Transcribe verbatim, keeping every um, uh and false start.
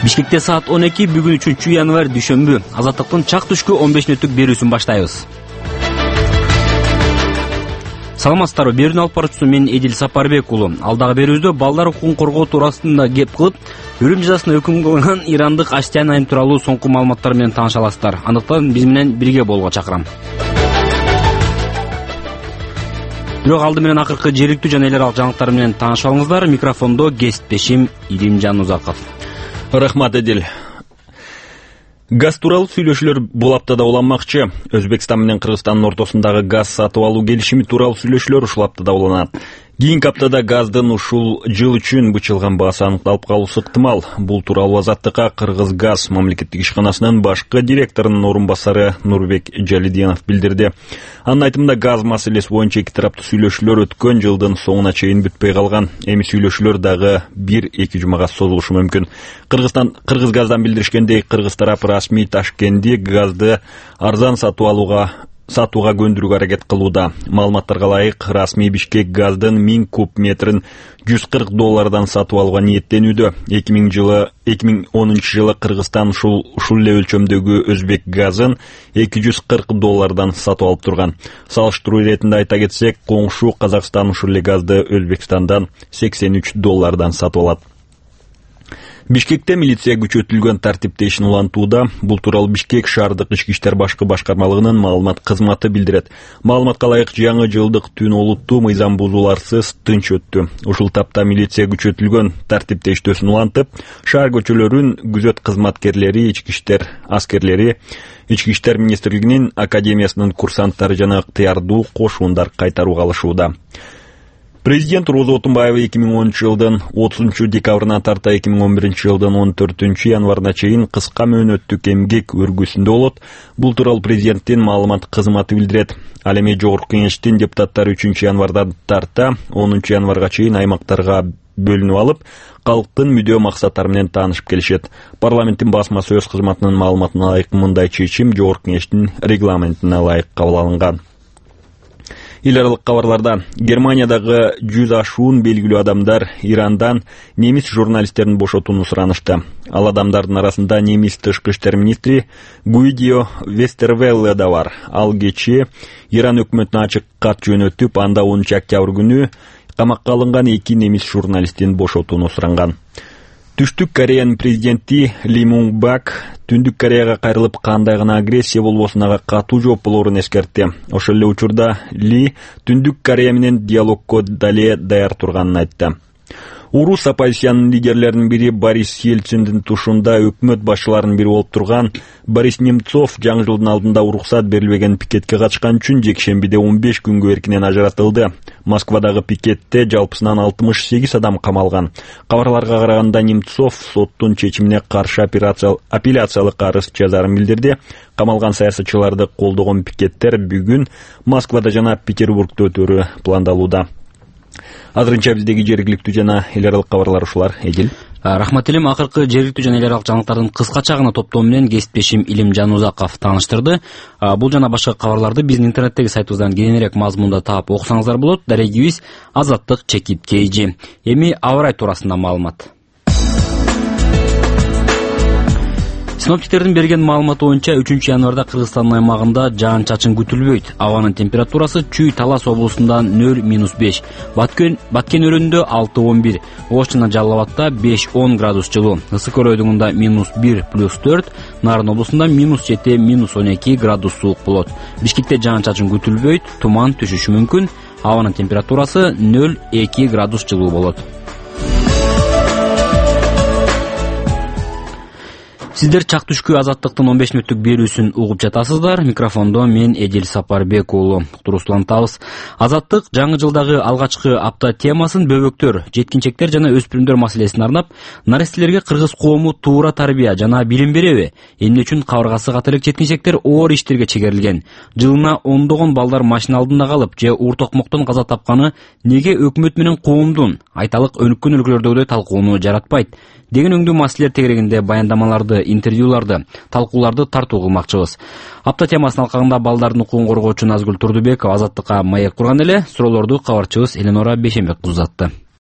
Бишкекте саат он эки, бүгүн үчүнчү январь дүйшөмбү. Азаттыктын чак түшкү он беш мүнөттүк берүүсүн баштайбыз. Саламатсыздарбы, берүүнү алып баруучусу мен Эдил Сапарбек уулу. Алдагы берүүбүздө балдар укугун коргоо туурасында кеп кылып, өлүм жазасына өкүм кылган ирандык Аштян айым тууралуу соңку маалыматтар менен тааныша аласыздар. Андыктан биз менен бирге болууга чакырам. Бирок алды менен акыркы жергиликтүү жана эл аралык жаңылыктар менен таанышып алыңыздар. Микрофондо кесиптешим Илимжан Узаков. Рахмат, Эдил. Газ тууралуу сүйлөшүүлөр бул аптада уланмакчы. Өзбекстан менен Кыргызстандын ортосундагы газ сатып алуу келишими тууралуу сүйлөшүүлөр ушул аптада уланат. Кийинки аптада газдын ушул жыл үчүн бычылган баасы аныкталып калуусу ыктымал. Бул тууралуу Азаттыкка Кыргызгаз мамлекеттик ишканасынын башкы директорунун орун басары Нурбек Жалиденов билдирди. Анын айтымында газ маселеси боюнча эки тараптуу сүйлөшүүлөр өткөн жылдын соңуна чейин бүтпөй калган. Эми сүйлөшүүлөр дагы бир-эки жумага созулушу мүмкүн. Кыргызстан Кыргызгаздан билдиришкендей, Кыргыз тарапы расмий Ташкентти газды арзан сатып алууга сатууга көндүрүүгө аракет кылууда. Маалыматтарга ылайык, расмий Бишкек газдын миң куб метрин жүз кырк доллардан сатып алууга ниеттенүүдө. эки миң жылы эки миң онунчу жылы Кыргызстан ушул ушул эле өлчөмдөгү Өзбек газын эки жүз кырк доллардан сатып алып турган. Салыштыруу иретинде айта кетсек, коңшу Казакстан ушул эле газды Өзбекстандан сексен үч доллардан сатып алат. Бишкекте милиция күчөтүлгөн тартипте ишин улантууда. Бул тууралуу Бишкек шаардык ички иштер башкы башкармалыгынын маалымат кызматы билдирет. Маалыматка ылайык, жаңы жылдык түн олуттуу мыйзам бузууларсыз тынч өттү. Ушул тапта милиция күчөтүлгөн тартипте иштөөсүн улантып, шаар көчөлөрүн күзөт кызматкерлери, ички иштер аскерлери, Ички иштер министрлигинин академиясынын курсанттары жана ыктыярдуу кошундар кайтарууга алышууда. Президент Роза Отунбаева эки миң онунчу жылдын отузунчу декабрына тарта эки миң он биринчи жылдын он төртүнчү январына чейин кыска мөөнөттүк эмгек өргүсүндө болот. Бул тууралуу президенттин маалымат кызматы билдирет. Ал эми Жогорку Кеңештин депутаттары үчүнчү январдан тарта онунчу январга чейин аймактарга бөлүнүп алып, калктын мүдөө максаттары менен таанышып келишет. Парламенттин басма сөз кызматынын маалыматына ылайык, мындай чечим Жогорку Кеңештин регламентине ылайык кабыл алынган. Эл аралык кабарларда Германиядагы жүз ашуун белгилүү адамдар Ирандан немис журналисттерин бошотууну суранышты. Ал адамдардын арасында немис тышкы иштер министри Гуидио Вестервелле да бар. Ал кечээ Иран өкмөтүнө ачык кат жөнөтүп, анда онунчу октябрь күнү камакка алынган эки немис журналистин бошотууну суранган. Түштүк Кореянын президенти Ли Мунг Бак Түндүк Кореяга кайрылып, кандай гана агрессия болбосун ага катуу жооп болоорун эскертти. Ошол эле учурда Ли Түндүк Корея менен диалогко дале даяр турганын айтты. Урус оппозициянын лидерлеринин бири Борис Ельциндин тушунда өкмөт башчыларынын бири болуп турган Борис Немцов жаңы жылдын алдында уруксат берилбеген пикетке катышкан үчүн жекшембиде он беш күнгө эркинен ажыратылды. Москвадагы пикетте жалпысынан алтымыш сегиз адам камалган. Кабарларга караганда Немцов соттун чечимине каршы апелляциялык арыз жазарын билдирди. Камалган саясатчыларды колдогон пикеттер бүгүн Москвада жана Петербургда өтөрү пландалууда. Азырынча биздеги жергиликтүү жана эл аралык кабарлар ушулар. Эдил. Рахмат элем. Акыркы жергиликтүү жана эл аралык жаңылыктардын кыскача гана топтому менен кесиптешим Илимжан Узаков тааныштырды. Бул жана башка кабарларды биздин интернеттеги сайтыбыздан кененирээк мазмунда таап окусаңыздар болот. Дарегибиз Азаттык чекит кейжи. Эми аба ырайы туурасында маалымат. Синоптиктердин берген маалыматы боюнча үчүнчү январда Кыргызстандын аймагында жаан-чачын күтүлбөйт. Абанын температурасы Чүй Талас облусунда нөл минус беш, Баткен Баткен өрөөнүндө алты он бир, Ош жана Жалал Абадта беш он градус жылуу, Ысык өрөөнүндө минус бир плюс төрт, Нарын облусунда минус жети минус он эки градус суук болот. Бишкекте жаан-чачын күтүлбөйт, туман түшүшү мүмкүн. Абанын температурасы нөл эки градус жылуу болот. Сиздер чак түшкү Азаттыктын он беш мүнөттүк берүүсүн угуп жатасыздар. Микрофондо мен Эдил Сапарбек уулу. Туруслантабыз. Азаттык жаңы жылдагы алгачкы апта темасын бөбөктөр, жеткинчектер жана өспүрүмдөр маселесине арнап, нарестелерге кыргыз коому туура тарбия жана билим береби? Эмне үчүн кабыргасы ката элек жеткинчектер оор иштерге чегерилген? Жылына ондогон балдар машина алдында калып же уур токмоктон каза тапканы неге өкмөт менен коомдун айталык өнүккөн өлкөлөрдөгүдөй талкууну жаратпайт? Деген өңдүү маселелер тегерегинде баяндамаларды, интервьюларды, талкууларды тартуу кылмакчыбыз. Апта темасынын алкагында балдардын укугун коргоочу Назгүл Турдубекова Азаттыкка маек курган эле. Суроолорду кабарчыбыз Эленора Бейшембек узатты.